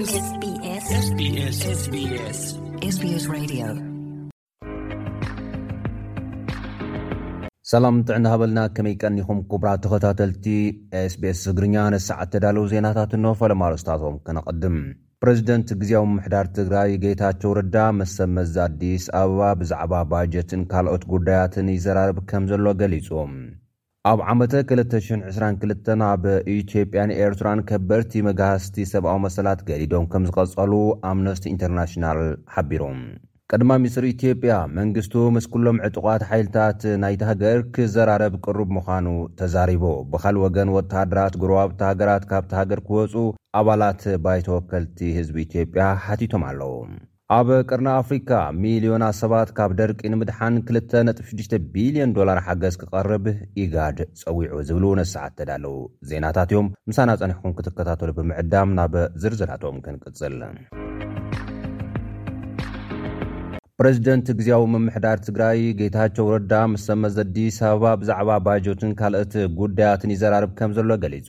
SBS SBS SBS SBS Radio. ሰላም ጥዕና ሃበልና፣ ከመይ ቀኒኹም ክቡራት ተኸታተልቲ SBS ትግርኛ? ንሰዓት ተዳለዉ ዜናታት እንሆ። ፈለማ ኣርእስታቶም ከነቐድም። ፕሬዚደንት ግዝያዊ ምምሕዳር ትግራይ ጌታቸው ረዳ ምስ ሰብ መዚ ኣዲስ ኣበባ ብዛዕባ ባጀትን ካልኦት ጉዳያትን ይዘራረብ ከም ዘሎ ገሊጹ። ኣብ ዓመተ ክልተ ሽሕን ዕስራን ክልተን ኣብ ኢትዮጵያን ኤርትራን ከበድቲ መጋህስቲ ሰብኣዊ መሰላት ገዲዶም ከም ዝቐጸሉ ኣምነስቲ ኢንተርናሽናል ሓቢሩ። ቀዳማይ ሚኒስትር ኢትዮጵያ መንግስቱ ምስ ኩሎም ዕጡቓት ሓይልታት ናይቲ ሃገር ክዘራረብ ቅሩብ ምዃኑ ተዛሪቡ። ብኻልእ ወገን ወተሃደራት ጎረባብቲ ሃገራት ካብቲ ሃገር ክወጹ ኣባላት ባይቶ ወከልቲ ህዝቢ ኢትዮጵያ ሓቲቶም ኣለዉ። ኣብ ቀርኒ ኣፍሪካ ሚልዮናት ሰባት ካብ ደርቂ ንምድሓን ክልተ ነጥቢ ሽዱሽተ ቢልዮን ዶላር ሓገዝ ክቐርብ ኢጋድ ጸዊዑ ዝብሉ ነሰዓት ተዳለዉ ዜናታት እዮም። ምሳና ጸኒሕኩም ክትከታተሉ ብምዕዳም ናብ ዝርዝራቶም ክንቅጽል። ፕሬዚደንት ግዝያዊ ምምሕዳር ትግራይ ጌታቸው ረዳ ምስ ሰብ መዚ ኣዲስ ኣበባ ብዛዕባ ባጀትን ካልኦት ጉዳያትን ይዘራርብ ከም ዘሎ ገሊጹ።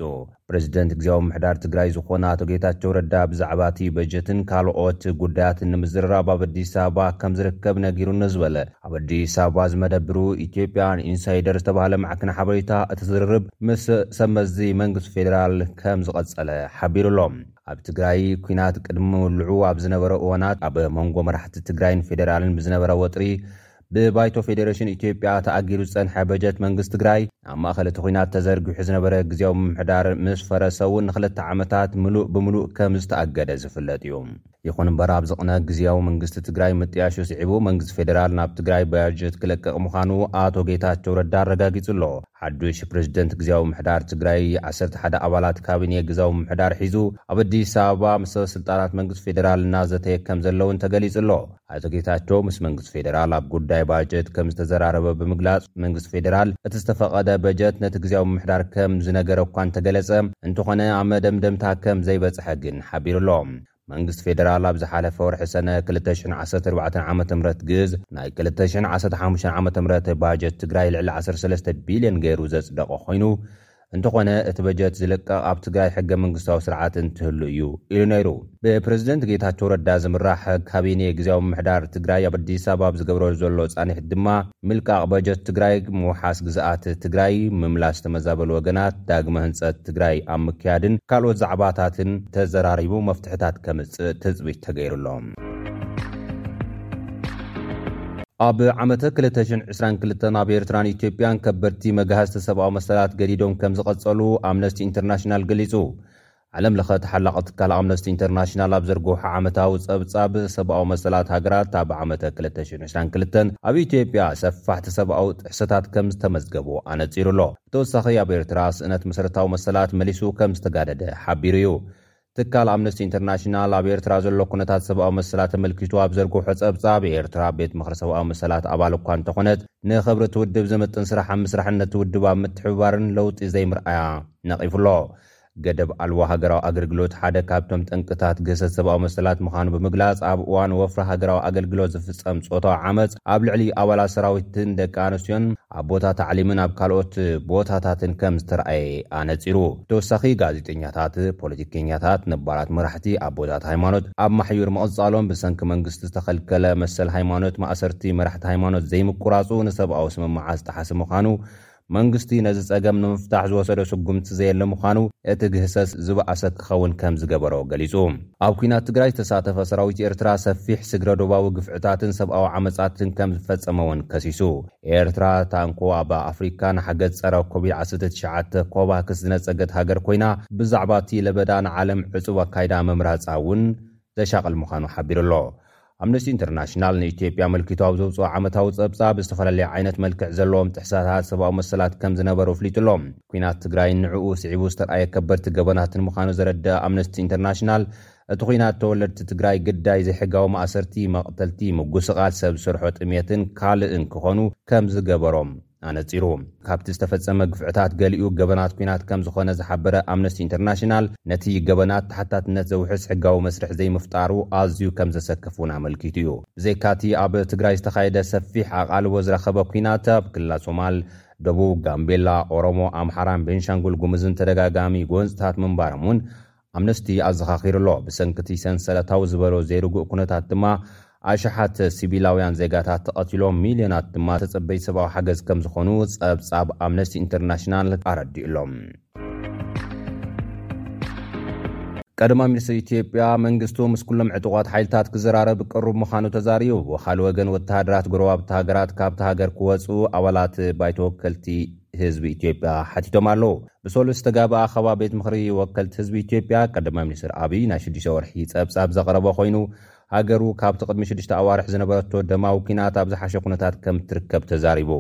ፕሬዚደንት ግዝያዊ ምምሕዳር ትግራይ ዝኾነ ኣቶ ጌታቸው ረዳ ብዛዕባ እቲ በጀትን ካልኦት ጉዳያትን ንምዝርራብ ኣብ ኣዲስ ኣበባ ከም ዝርከብ ነጊሩኒ ዝበለ ኣብ ኣዲስ ኣበባ ዝመደብሩ ኢትዮጵያን ኢንሳይደር ዝተባህለ ማዕከን ሓበሬታ፣ እቲ ዝርርብ ምስ ሰብ መዚ መንግስቲ ፌዴራል ከም ዝቐጸለ ሓቢሩ ኣሎ። ኣብ ትግራይ ኲናት ቅድሚ ምውልዑ ኣብ ዝነበረ እዋናት ኣብ መንጎ መራሕቲ ትግራይን ፌዴራልን ብዝነበረ ወጥሪ ብባይቶ ፌዴሬሽን ኢትዮጵያ ተኣጊዱ ዝጸንሐ በጀት መንግስቲ ትግራይ ኣብ ማእከል እቲ ኲናት ተዘርጊሑ ዝነበረ ግዝያዊ ምምሕዳር ምስ ፈረሰ እውን ንኽልተ ዓመታት ምሉእ ብምሉእ ከም ዝተኣገደ ዝፍለጥ እዩ። ይኹን እምበር ኣብዚ ቅነ ግዝያዊ መንግስቲ ትግራይ ምጥያሹ ስዒቡ መንግስቲ ፌዴራል ናብ ትግራይ ባጀት ክለቅቕ ምዃኑ ኣቶ ጌታቸው ረዳ ኣረጋጊጹ ኣሎ። ሓዱሽ ፕሬዚደንት ግዝያዊ ምምሕዳር ትግራይ ዓሰርተ ሓደ ኣባላት ካቢኔ ግዝያዊ ምምሕዳር ሒዙ ኣብ ኣዲስ ኣበባ ምስ ሰበ ስልጣናት መንግስቲ ፌዴራል እናዘተየ ከም ዘለውን ተገሊጹ ኣሎ። ኣቶ ጌታቸው ምስ መንግስቲ ፌዴራል ኣብ ጉዳይ ባጀት ከም ዝተዘራረበ ብምግላጽ መንግስቲ ፌዴራል እቲ ዝተፈቐደ በጀት ነቲ ግዝያዊ ምምሕዳር ከም ዝነገረ እኳ እንተገለጸ፣ እንተኾነ ኣብ መደምደምታ ከም ዘይበጽሐ ግን ሓቢሩ ኣሎ። መንግስቲ ፌዴራል ኣብ ዝሓለፈ ወርሒ ሰነ ክልተ ሽሕን ዓሰርተ ኣርባዕተን ዓመተ ምህረት ግዝ ናይ ክልተ ሽሕን ዓሰርተ ሓሙሽተን ዓመተ ምህረት ባጀት ትግራይ ልዕሊ ዓሰርተ ሰለስተ ቢልዮን ገይሩ ዘጽደቐ ኮይኑ፣ እንተኾነ እቲ በጀት ዝልቀቕ ኣብ ትግራይ ሕገ መንግስታዊ ስርዓት እንትህሉ እዩ ኢሉ ነይሩ። ብፕሬዝደንት ጌታቸው ረዳ ዝምራሕ ካቢኔ ግዝያዊ ምምሕዳር ትግራይ ኣብ ኣዲስ ኣበባ ኣብ ዝገብሮ ዘሎ ጻኒሕት ድማ ምልቃቕ በጀት ትግራይ፣ ምውሓስ ግዝኣት ትግራይ፣ ምምላስ ተመዛበሉ ወገናት፣ ዳግመ ህንጸት ትግራይ ኣብ ምክያድን ካልኦት ዛዕባታትን ተዘራሪቡ መፍትሕታት ከምጽእ ትጽቢት ተገይሩ ኣሎ። ኣብ ዓመተ ክልተ ሽሕን ዕስራን ክልተን ኣብ ኤርትራን ኢትዮጵያን ከበድቲ መጋህዝቲ ሰብኣዊ መሰላት ገዲዶም ከም ዝቐጸሉ ኣምነስቲ ኢንተርናሽናል ገሊጹ። ዓለም ለኸ ተሓላቒ ትካል ኣምነስቲ ኢንተርናሽናል ኣብ ዘርግሖ ዓመታዊ ጸብጻብ፣ ሰብኣዊ መሰላት ሃገራት ኣብ ዓመተ ክልተ ሽሕን ዕስራን ክልተን ኣብ ኢትዮጵያ ሰፋሕቲ ሰብኣዊ ጥሕሰታት ከም ዝተመዝገቡ ኣነጺሩ ኣሎ። ብተወሳኺ ኣብ ኤርትራ ስእነት መሰረታዊ መሰላት መሊሱ ከም ዝተጋደደ ሓቢሩ እዩ። ትካል ኣምነስቲ ኢንተርናሽናል ኣብ ኤርትራ ዘሎ ኩነታት ሰብኣዊ መሰላት ተመልኪቱ ኣብ ዘርግሖ ጸብጻብ፣ ኤርትራ ቤት ምኽሪ ሰብኣዊ መሰላት ኣባል እኳ እንተኾነት፣ ንኽብሪ እቲ ውድብ ዝምጥን ስራሕ ኣብ ምስራሕን ነቲ ውድብ ኣብ ምትሕብባርን ለውጢ ዘይምርኣያ ነቒፉ ኣሎ። ገደብ ኣልቦ ሃገራዊ ኣገልግሎት ሓደ ካብቶም ጠንቅታት ግህሰት ሰብኣዊ መሰላት ምዃኑ ብምግላጽ፣ ኣብ እዋን ወፍሪ ሃገራዊ ኣገልግሎት ዝፍጸም ጾታዊ ዓመጽ ኣብ ልዕሊ ኣባላት ሰራዊትን ደቂ ኣንስትዮን ኣብ ቦታ ታዕሊምን ኣብ ካልኦት ቦታታትን ከም ዝተረኣየ ኣነጺሩ። ተወሳኺ፣ ጋዜጠኛታት፣ ፖለቲከኛታት፣ ነባራት መራሕቲ፣ ኣቦታት ሃይማኖት ኣብ ማሕዩር ምቕጻሎም፣ ብሰንኪ መንግስቲ ዝተኸልከለ መሰል ሃይማኖት፣ ማእሰርቲ መራሕቲ ሃይማኖት ዘይምቁራጹ ንሰብኣዊ ስምምዓት ዝጠሓሰ ምዃኑ፣ መንግስቲ ነዚ ጸገም ንምፍታሕ ዝወሰዶ ስጉምቲ ዘየለ ምዃኑ፣ እቲ ግህሰት ዝበኣሰ ክኸውን ከም ዝገበሮ ገሊጹ። ኣብ ኲናት ትግራይ ዝተሳተፈ ሰራዊት ኤርትራ ሰፊሕ ስግረ ዶባዊ ግፍዕታትን ሰብኣዊ ዓመጻትን ከም ዝፈጸመ እውን ከሲሱ። ኤርትራ ታንኮ ኣብ ኣፍሪካ ንሓገዝ ጸረ ኮቪድ ዓሰርተ ትሽዓተ ኮቫክስ ዝነጸገት ሃገር ኮይና፣ ብዛዕባ እቲ ለበዳ ንዓለም ዕጹብ ኣካይዳ ምምራጻ እውን ዘሻቕል ምዃኑ ሓቢሩ ኣሎ። ኣምነስቲ ኢንተርናሽናል ንኢትዮጵያ ኣመልኪቱ ኣብ ዘውፅኦ ዓመታዊ ጸብጻብ፣ ዝተፈላለየ ዓይነት መልክዕ ዘለዎም ጥሕሰታት ሰብኣዊ መሰላት ከም ዝነበሩ ኣፍሊጡ ኣሎ። ኲናት ትግራይን ንዕኡ ስዒቡ ዝተርኣየ ከበድቲ ገበናትን ምዃኑ ዘረድእ ኣምነስቲ ኢንተርናሽናል፣ እቲ ኲናት ተወለድቲ ትግራይ ግዳይ ዘይሕጋዊ ማእሰርቲ፣ መቕተልቲ፣ ምጉስቓል ሰብ ዝሰርሖ ጥሜትን ካልእን ክኾኑ ከም ዝገበሮም ኣነጺሩ። ካብቲ ዝተፈጸመ ግፍዕታት ገሊኡ ገበናት ኲናት ከም ዝኾነ ዝሓበረ ኣምነስቲ ኢንተርናሽናል፣ ነቲ ገበናት ተሓታትነት ዘውሕስ ሕጋዊ መስርሕ ዘይምፍጣሩ ኣዝዩ ከም ዘሰክፍ እውን ኣመልኪቱ እዩ። ብዘይካቲ ኣብ ትግራይ ዝተኻየደ ሰፊሕ ኣቓልቦ ዝረኸበ ኲናት፣ ኣብ ክልላት ሶማል፣ ደቡብ፣ ጋምቤላ፣ ኦሮሞ፣ ኣምሓራን ቤንሻንጉል ጉሙዝን ተደጋጋሚ ጎንጽታት ምንባሮም እውን ኣምነስቲ ኣዘኻኺሩ ኣሎ። ብሰንክቲ ሰንሰለታዊ ዝበሎ ዘይርጉእ ኩነታት ድማ ኣሽሓት ሲቪላውያን ዜጋታት ተቐቲሎም፣ ሚልዮናት ድማ ተጸበይ ሰብኣዊ ሓገዝ ከም ዝኾኑ ጸብጻብ ኣምነስቲ ኢንተርናሽናል ኣረዲኡ ኣሎ። ቀዳማይ ሚኒስትር ኢትዮጵያ መንግስቱ ምስ ኩሎም ዕጡቓት ሓይልታት ክዘራረብ ቅሩብ ምዃኑ ተዛሪቡ። ብኻልእ ወገን ወተሃደራት ጎረባብቲ ሃገራት ካብቲ ሃገር ክወፁ ኣባላት ባይቶ ወከልቲ ህዝቢ ኢትዮጵያ ሓቲቶም ኣለዉ። ብሰሉስ ዝተጋብኣ ኣኸባ ቤት ምኽሪ ወከልቲ ህዝቢ ኢትዮጵያ ቀዳማይ ሚኒስትር ኣብይ ናይ ሽዱሽተ ወርሒ ጸብጻብ ዘቕረበ ኮይኑ ሃገሩ ካብቲ ቅድሚ ሽዱሽተ ኣዋርሕ ዝነበረቶ ደማዊ ኲናት ኣብ ዝሓሸ ኩነታት ከም ትርከብ ተዛሪቡ።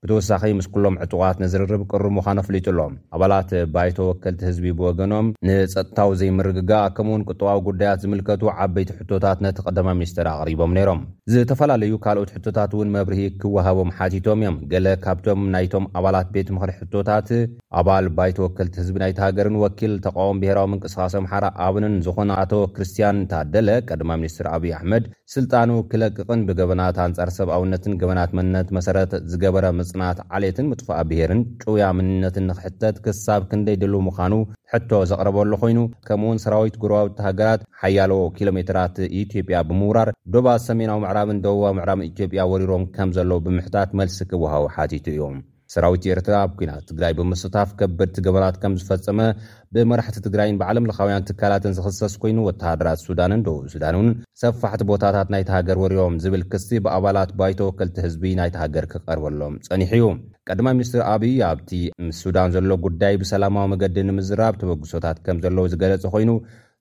ብተወሳኺ ምስ ኩሎም ዕጡቓት ንዝርርብ ቅሩብ ምዃኑ ኣፍሊጡ ኣሎ። ኣባላት ባይቶ ወከልቲ ህዝቢ ብወገኖም ንጸጥታዊ ዘይምርግጋእ ከምኡውን ቁጠባዊ ጉዳያት ዝምልከቱ ዓበይቲ ሕቶታት ነቲ ቀዳማይ ሚኒስትር ኣቕሪቦም ነይሮም። ዝተፈላለዩ ካልኦት ሕቶታት እውን መብርሂ ክወሃቦም ሓቲቶም እዮም። ገለ ካብቶም ናይቶም ኣባላት ቤት ምኽሪ ሕቶታት ኣባል ባይቶ ወከልቲ ህዝቢ ናይቲ ሃገርን ወኪል ተቃወም ብሄራዊ ምንቅስቃስ ኣምሓራ ኣብንን ዝኾነ ኣቶ ክርስቲያን ታደለ ቀዳማይ ሚኒስትር ኣብይ ኣሕመድ ስልጣኑ ክለቅቕን ብገበናት ኣንጻር ሰብኣውነትን ገበናት መንነት መሰረት ዝገበረ ምጽናት ዓሌትን ምጥፋእ ብሄርን ጭውያ መንነትን ንክሕተት ክሳብ ክንደይ ድሉ ምዃኑ ሕቶ ዘቕረበሉ ኮይኑ፣ ከምኡውን ሰራዊት ጎረባብቲ ሃገራት ሓያሎ ኪሎ ሜትራት ኢትዮጵያ ብምውራር ዶባት ሰሜናዊ ምዕራብን ደቡባዊ ምዕራብን ኢትዮጵያ ወሪሮም ከም ዘለዉ ብምሕታት መልሲ ክወሃቡ ሓቲቱ እዩ። ሰራዊት ኤርትራ ኣብ ኲናት ትግራይ ብምስታፍ ከበድቲ ገበናት ከም ዝፈጸመ ብመራሕቲ ትግራይን ብዓለም ለኻውያን ትካላትን ዝኽሰስ ኮይኑ፣ ወተሃደራት ሱዳንን ደቡብ ሱዳን እውን ሰፋሕቲ ቦታታት ናይቲ ሃገር ወሪሮም ዝብል ክሲ ብኣባላት ባይቶ ወከልቲ ህዝቢ ናይቲ ሃገር ክቐርበሎም ጸኒሑ እዩ። ቀዳማይ ሚኒስትር ኣብይ ኣብቲ ምስ ሱዳን ዘሎ ጉዳይ ብሰላማዊ መገዲ ንምዝራብ ተበግሶታት ከም ዘለዉ ዝገለጸ ኮይኑ፣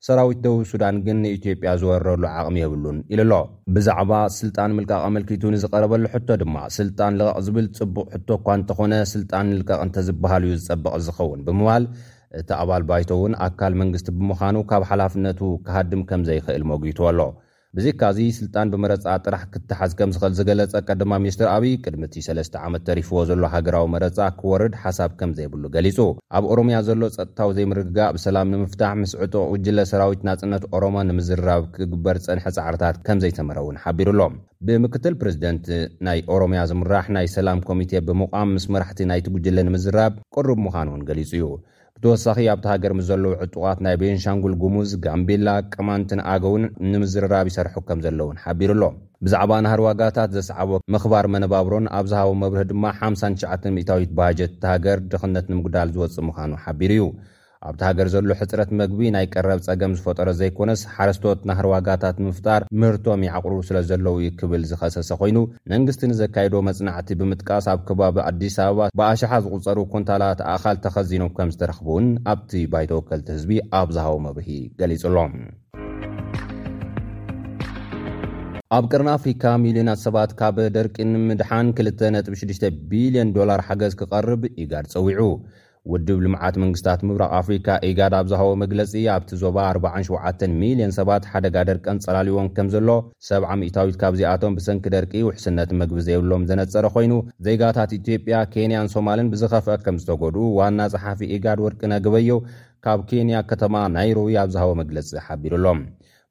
ሰራዊት ደቡብ ሱዳን ግን ንኢትዮጵያ ዝወረረሉ ዓቕሚ የብሉን ኢሉ ኣሎ። ብዛዕባ ስልጣን ምልቃቕ ኣመልኪቱ ንዝቐረበሉ ሕቶ ድማ፣ ስልጣን ልቐቕ ዝብል ጽቡቕ ሕቶ እኳ እንተኾነ፣ ስልጣን ንልቀቕ እንተዝበሃል እዩ ዝጸብቕ ዝኸውን ብምባል፣ እቲ ኣባል ባይቶ እውን ኣካል መንግስቲ ብምዃኑ ካብ ሓላፍነቱ ክሃድም ከም ዘይኽእል ሞጊቱ ኣሎ። ብዘይካዚ፣ ስልጣን ብመረጻ ጥራሕ ክተሓዝ ከም ዝኽእል ዝገለጸ ቀዳማይ ሚኒስትር ኣብይ፣ ቅድሚ እቲ ሰለስተ ዓመት ተሪፍዎ ዘሎ ሃገራዊ መረጻ ክወርድ ሓሳብ ከም ዘይብሉ ገሊጹ። ኣብ ኦሮምያ ዘሎ ጸጥታዊ ዘይምርግጋእ ብሰላም ንምፍታሕ ምስ ዕጡቕ ጉጅለ ሰራዊት ናጽነት ኦሮሞ ንምዝርራብ ክግበር ዝጸንሐ ጻዕርታት ከም ዘይተመረ እውን ሓቢሩ ኣሎ። ብምክትል ፕሬዝደንት ናይ ኦሮምያ ዝምራሕ ናይ ሰላም ኮሚቴ ብምቋም ምስ መራሕቲ ናይቲ ጉጅለ ንምዝራብ ቅሩብ ምዃኑ እውን ገሊጹ እዩ። ብተወሳኺ ኣብቲ ሃገር ምስ ዘለዉ ዕጡቓት ናይ ቤንሻንጉል ጉሙዝ፣ ጋምቤላ፣ ቅማንትን ኣገውን ንምዝርራብ ይሰርሑ ከም ዘለውን ሓቢሩ ኣሎ። ብዛዕባ ናህሪ ዋጋታት ዘስዓቦ ምኽባር መነባብሮን ኣብ ዝሃቦ መብርሂ ድማ ሓምሳን ትሽዓተን ሚእታዊት ባጀት እታ ሃገር ድኽነት ንምጉዳል ዝወጽእ ምዃኑ ሓቢሩ እዩ። ኣብቲ ሃገር ዘሎ ሕጽረት መግቢ ናይ ቀረብ ጸገም ዝፈጠረ ዘይኮነስ፣ ሓረስቶት ናህሪ ዋጋታት ንምፍጣር ምህርቶም ይዓቕሩ ስለ ዘለዉ እዩ ክብል ዝኸሰሰ ኮይኑ፣ መንግስቲ ንዘካየዶ መጽናዕቲ ብምጥቃስ፣ ኣብ ከባቢ ኣዲስ ኣበባ ብኣሽሓት ዝቑጸሩ ኩንታላት ኣእኻል ተኸዚኖም ከም ዝተረኽቡ እውን ኣብቲ ባይቶ ወከልቲ ህዝቢ ኣብ ዝሃቦ መብርሂ ገሊጹ ኣሎ። ኣብ ቀርኒ ኣፍሪካ ሚልዮናት ሰባት ካብ ደርቂ ንምድሓን ክልተ ነጥቢ ሽዱሽተ ቢልዮን ዶላር ሓገዝ ክቐርብ ኢጋድ ጸዊዑ። ውድብ ልምዓት መንግስታት ምብራቕ ኣፍሪካ ኢጋድ ኣብ ዝሃቦ መግለጺ፣ ኣብቲ ዞባ ኣርባዓን ሸውዓተን ሚልዮን ሰባት ሓደጋ ደርቂ ኣንጸላልይዎም ከም ዘሎ፣ ሰብዓ ሚእታዊት ካብዚኣቶም ብሰንኪ ደርቂ ውሕስነት መግቢ ዘይብሎም ዘነጸረ ኮይኑ፣ ዜጋታት ኢትዮጵያ፣ ኬንያን ሶማልን ብዝኸፍአ ከም ዝተጎድኡ ዋና ጸሓፊ ኢጋድ ወርቅነህ ገበየሁ ካብ ኬንያ ከተማ ናይሮቢ ኣብ ዝሃቦ መግለጺ ሓቢሩ ኣሎ።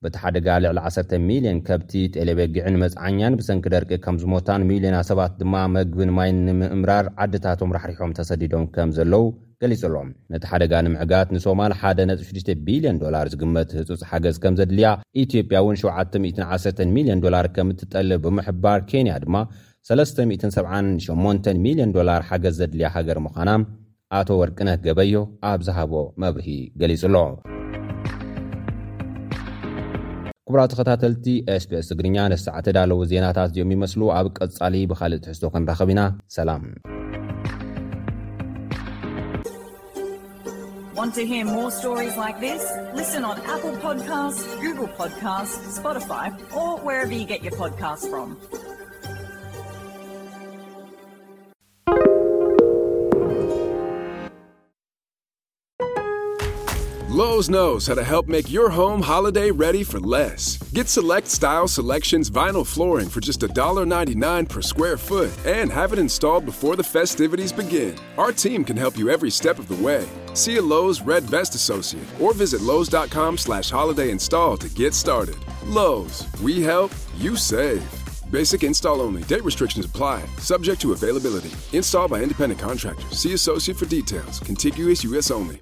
በቲ ሓደጋ ልዕሊ ዓሰርተ ሚልዮን ከብቲ፣ ጤለበጊዕን መጽዓኛን ብሰንኪ ደርቂ ከም ዝሞታን፣ ሚልዮና ሰባት ድማ መግብን ማይን ንምእምራር ዓድታቶም ራሕሪሖም ተሰዲዶም ከም ዘለዉ ገሊጹ ኣሎ። ነቲ ሓደጋ ንምዕጋት ንሶማል ሓደ ነጥቢ ሽዱሽተ ቢልዮን ዶላር ዝግመት ህጹጽ ሓገዝ ከም ዘድልያ፣ ኢትዮጵያ እውን ሸውዓተ ሚእትን ዓሰርተን ሚልዮን ዶላር ከም እትጠልብ ብምሕባር፣ ኬንያ ድማ ሰለስተ ሚእትን ሰብዓን ሸሞንተን ሚልዮን ዶላር ሓገዝ ዘድልያ ሃገር ምዃና ኣቶ ወርቅነህ ገበዮ ኣብ ዝሃቦ መብርሂ ገሊጹ ኣሎ። ክቡራት ተኸታተልቲ ኤስቢኤስ ትግርኛ፣ ነዚ ሰዓት ተዳለዉ ዜናታት እዚኦም ይመስሉ። ኣብ ቀጻሊ ብኻልእ ትሕዝቶ ክንራኸብ ኢና። ሰላም። Want to hear more stories like this? Listen on Apple Podcasts, Google Podcasts, Spotify, or wherever you get your podcasts from. Lowe's knows how to help make your home holiday ready for less. Get Select Style Selections vinyl flooring for just a dollar ninety-nine per square foot and have it installed before the festivities begin. Our team can help you every step of the way. See a Lowe's Red Vest Associate or visit Lowe's dot com slash holiday install to get started. Lowe's, we help, you save. Basic install only. Date restrictions apply. Subject to availability. Install by independent contractor. See associate for details. Contiguous U S only.